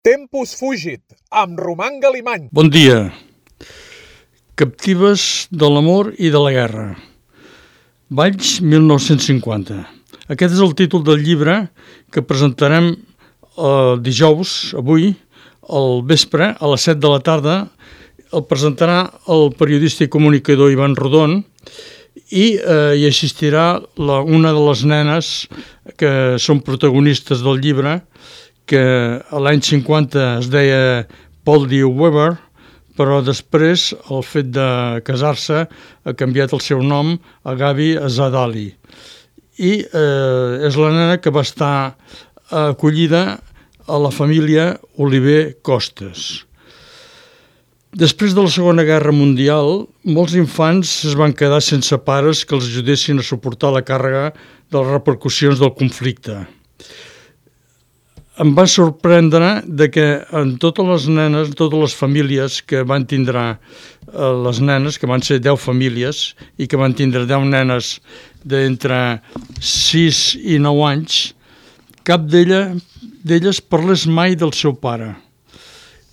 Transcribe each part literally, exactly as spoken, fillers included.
Tempus fugit, amb Roman Galimany. Bon dia. Captives de l'amor i de la guerra. Valls, mil nou-cents cinquanta. Aquest és el títol del llibre que presentarem eh, dijous, avui, al vespre, a les set de la tarda. El presentarà el periodista i comunicador Ivan Rodon i eh, hi assistirà la, una de les nenes que són protagonistes del llibre, que a l'any cinquanta es deia Paul D. Weber, però després el fet de casar-se ha canviat el seu nom a Gabi Azadali. I eh, és la nena que va estar acollida a la família Oliver Costes. Després de la Segona Guerra Mundial, molts infants es van quedar sense pares que els ajudessin a suportar la càrrega de les repercussions del conflicte. Em va sorprendre de que en totes les nenes, totes les famílies que van tindre eh, les nenes, que van ser deu famílies i que van tindre deu nenes d'entre sis i nou anys, cap d'ella, d'elles parlés mai del seu pare.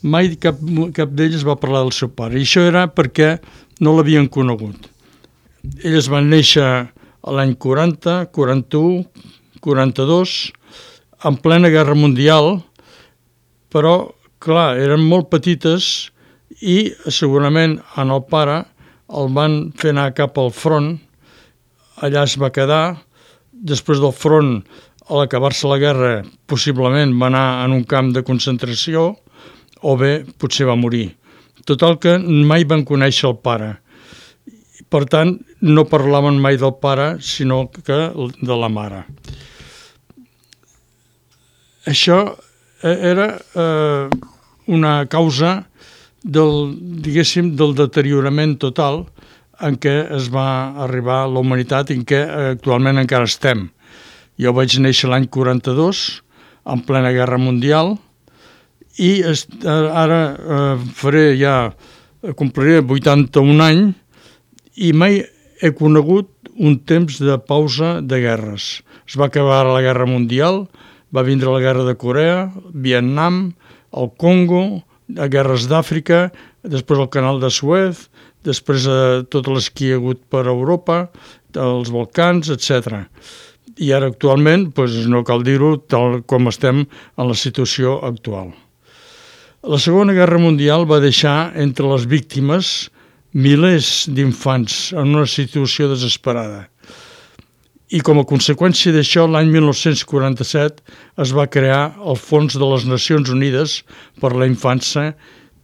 Mai cap, cap d'elles va parlar del seu pare. I això era perquè no l'havien conegut. Elles van néixer a l'any quaranta, quaranta-u, quaranta-dos, en plena Guerra Mundial, però, clar, eren molt petites i segurament en el pare el van fer anar cap al front, allà es va quedar, després del front, a l'acabar-se la guerra, possiblement va anar en un camp de concentració, o bé potser va morir. Total que mai van conèixer el pare. Per tant, no parlaven mai del pare, sinó que de la mare. Això era eh, una causa del, diguéssim, del deteriorament total en què es va arribar a la humanitat i en què actualment encara estem. Jo vaig néixer l'any quaranta-dos, en plena Guerra Mundial, i est, ara eh, faré ja, compliré vuitanta-un anys, i mai he conegut un temps de pausa de guerres. Es va acabar la Guerra Mundial, va vindre la Guerra de Corea, Vietnam, el Congo, guerres d'Àfrica, després el Canal de Suez, després eh, totes les que hi ha hagut per Europa, els Balcans, etcètera. I ara actualment, doncs, no cal dir-ho, tal com estem en la situació actual. La Segona Guerra Mundial va deixar entre les víctimes milers d'infants en una situació desesperada. I com a conseqüència d'això, l'any mil nou-cents quaranta-set es va crear el Fons de les Nacions Unides per la Infància,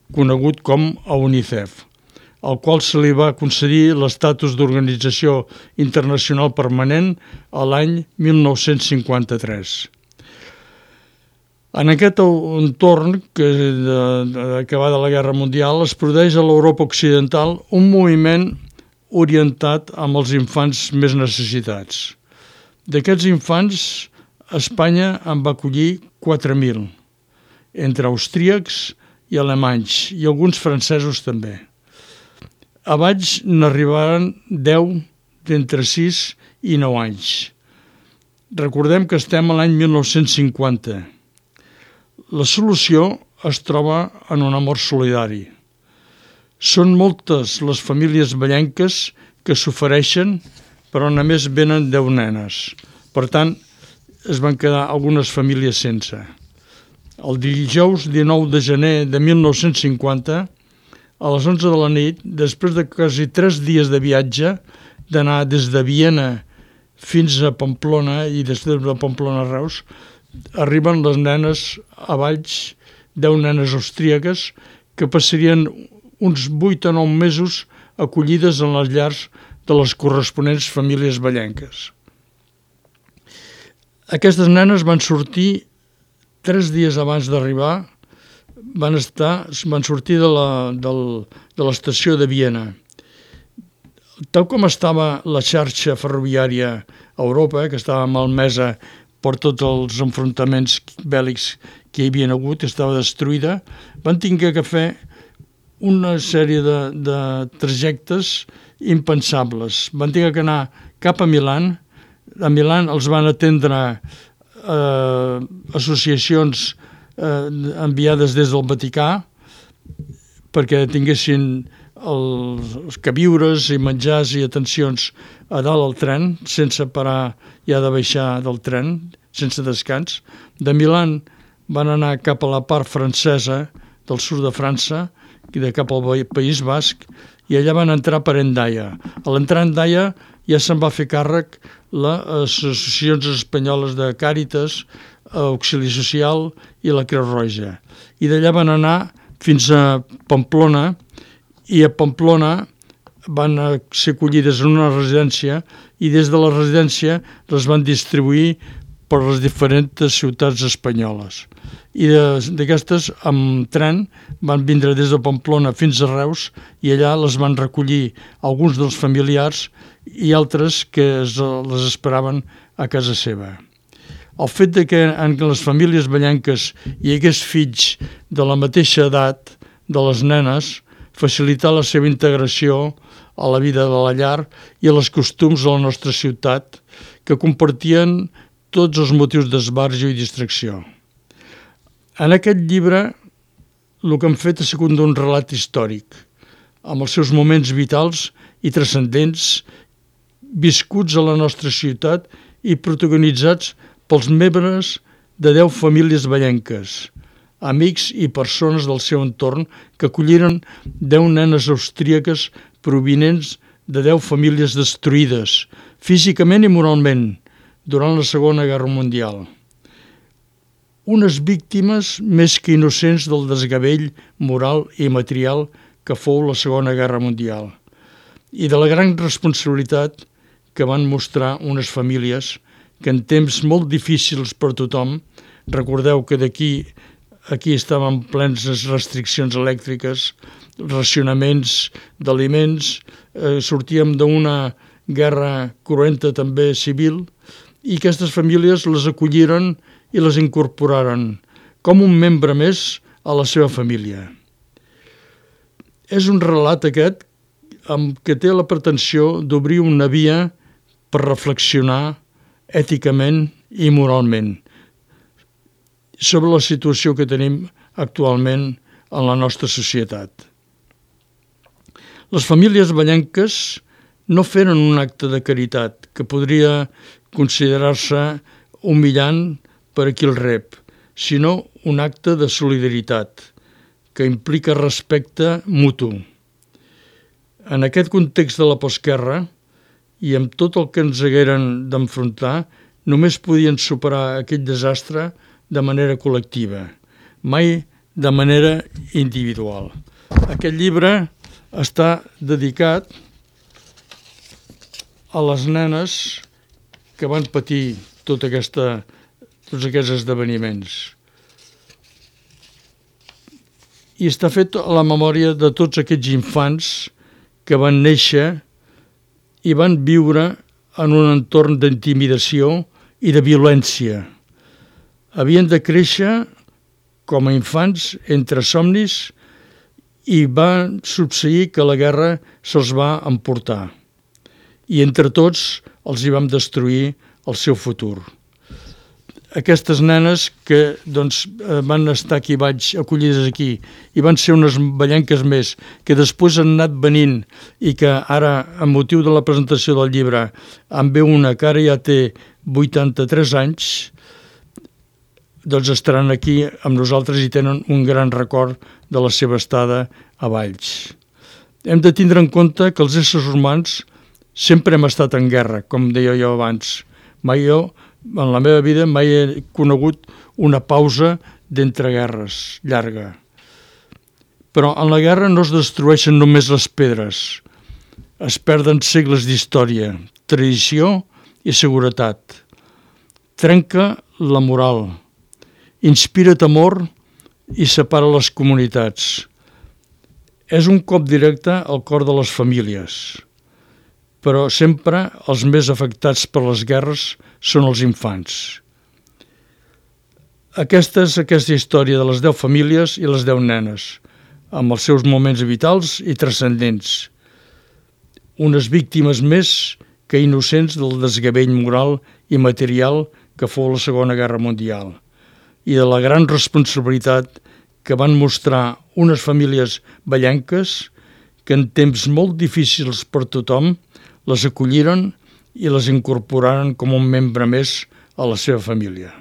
conegut com a UNICEF, al qual se li va concedir l'estatus d'organització internacional permanent a l'any mil nou-cents cinquanta-tres. En aquest entorn que d'acabada la Guerra Mundial es produeix a l'Europa Occidental un moviment orientat amb els infants més necessitats. D'aquests infants, Espanya en va acollir quatre mil, entre austríacs i alemanys, i alguns francesos també. A Valls n'arribaren deu d'entre sis i nou anys. Recordem que estem a l'any mil nou-cents cinquanta. La solució es troba en un amor solidari. Són moltes les famílies vallenques que s'ofereixen, però només venen deu nenes. Per tant, es van quedar algunes famílies sense. El dijous dinou de gener de mil nou-cents cinquanta, a les onze de la nit, després de quasi tres dies de viatge, d'anar des de Viena fins a Pamplona i des de Pamplona a Reus, arriben les nenes a Valls, deu nenes austríaques, que passarien uns vuit o nou mesos acollides en les llars de les corresponents famílies vallenques. Aquestes nenes van sortir tres dies abans d'arribar, van, estar, van sortir de la, del, de l'estació de Viena. Tal com estava la xarxa ferroviària a Europa, que estava malmesa per tots els enfrontaments bèl·lics que hi havia hagut, estava destruïda, van haver que fer una sèrie de, de trajectes impensables. Van haver que anar cap a Milà. A Milà els van atendre eh, associacions eh, enviades des del Vaticà perquè tinguessin els, els queviures i menjars i atencions a dalt al tren, sense parar ja de baixar del tren, sense descans. De Milan van anar cap a la part francesa del sud de França, i de cap al País Basc, i allà van entrar per Hendaia. A l'entrar a Hendaia ja se'n va fer càrrec les associacions espanyoles de Càritas, Auxili Social i la Creu Roja. I d'allà van anar fins a Pamplona, i a Pamplona van ser acollides en una residència i des de la residència les van distribuir per les diferents ciutats espanyoles. I d'aquestes, amb tren, van vindre des de Pamplona fins a Reus i allà les van recollir alguns dels familiars i altres que es, les esperaven a casa seva. El fet de que en les famílies ballenques hi hagués fills de la mateixa edat de les nenes facilitar la seva integració a la vida de la llar i a les costums de la nostra ciutat, que compartien tots els motius d'esbarjo i distracció. En aquest llibre el que hem fet ha sigut un relat històric, amb els seus moments vitals i transcendents, viscuts a la nostra ciutat i protagonitzats pels membres de deu famílies ballenques, amics i persones del seu entorn que acolliren deu nenes austríaques provinents de deu famílies destruïdes, físicament i moralment, durant la Segona Guerra Mundial. Unes víctimes més que innocents del desgavell moral i material que fou la Segona Guerra Mundial i de la gran responsabilitat que van mostrar unes famílies que en temps molt difícils per tothom, recordeu que d'aquí aquí estaven plens restriccions elèctriques, racionaments d'aliments, eh, sortíem d'una guerra cruenta també civil, i aquestes famílies les acolliren i les incorporaren com un membre més a la seva família. És un relat aquest amb que té la pretensió d'obrir una via per reflexionar èticament i moralment sobre la situació que tenim actualment en la nostra societat. Les famílies ballenques no feren un acte de caritat que podria considerar-se humillant per a qui el rep, sinó un acte de solidaritat que implica respecte mutu. En aquest context de la postguerra i amb tot el que ens hagueren d'enfrontar, només podien superar aquell desastre de manera col·lectiva, mai de manera individual. Aquest llibre està dedicat a les nenes que van patir tota aquesta, tots aquests esdeveniments. I està fet a la memòria de tots aquests infants que van néixer i van viure en un entorn d'intimidació i de violència. Havien de créixer com a infants entre somnis i va succeir que la guerra se'ls va emportar. I entre tots els hi vam destruir el seu futur. Aquestes nenes que doncs, van estar aquí, vaig acollides aquí, i van ser unes ballenques més, que després han anat venint i que ara, amb motiu de la presentació del llibre, en ve una que ara ja té vuitanta-tres anys, doncs estaran aquí amb nosaltres i tenen un gran record de la seva estada a Valls. Hem de tindre en compte que els éssers humans sempre hem estat en guerra, com deia jo abans. Mai jo, en la meva vida, mai he conegut una pausa d'entre guerres llarga. Però en la guerra no es destrueixen només les pedres. Es perden segles d'història, tradició i seguretat. Trenca la moral, inspira temor i separa les comunitats. És un cop directe al cor de les famílies, però sempre els més afectats per les guerres són els infants. Aquesta és aquesta història de les deu famílies i les deu nenes, amb els seus moments vitals i transcendents. Unes víctimes més que innocents del desgavell moral i material que fou la Segona Guerra Mundial. i de la gran responsabilitat que van mostrar unes famílies vallenques que en temps molt difícils per tothom les acolliren i les incorporaren com un membre més a la seva família.